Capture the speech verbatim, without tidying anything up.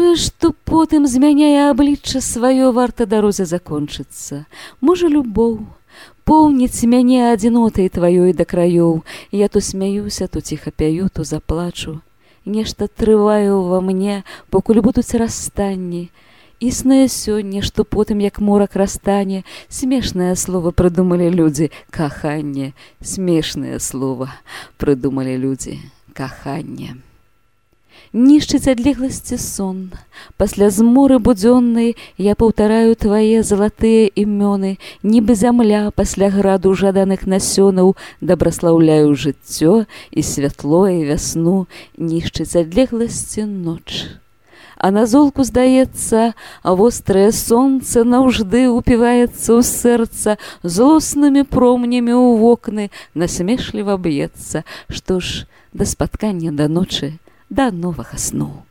тое, што потым змяняе аблічча сваё, варта дарозе закончыцца. Можа, любоў поўніць мяне адзінотай тваёй да краёў. Я то смяюся, то ціха пяю, то заплачу. Нешта трываю ва мне, покуль будуць расстанні. Існае сёння, што потым, як морак растане, смешнае слова прыдумалі людзі — каханне. Смешнае слова прыдумалі людзі — каханне. Нішчыць адлегласці сон. Пасля зморы будзённай я паўтараю твае залатыя імёны, нібы зямля пасля граду жаданых насёнаў, дабраслаўляю жыццё і святло і вясну. Нішчыць адлегласці ноч. А на золку, здаецца, вострае сонца наўжды упіваецца ў сэрца, злоснымі промнямі ў вокны насмешліва б'ецца. Што ж, да спаткання да ночы, да новага сну.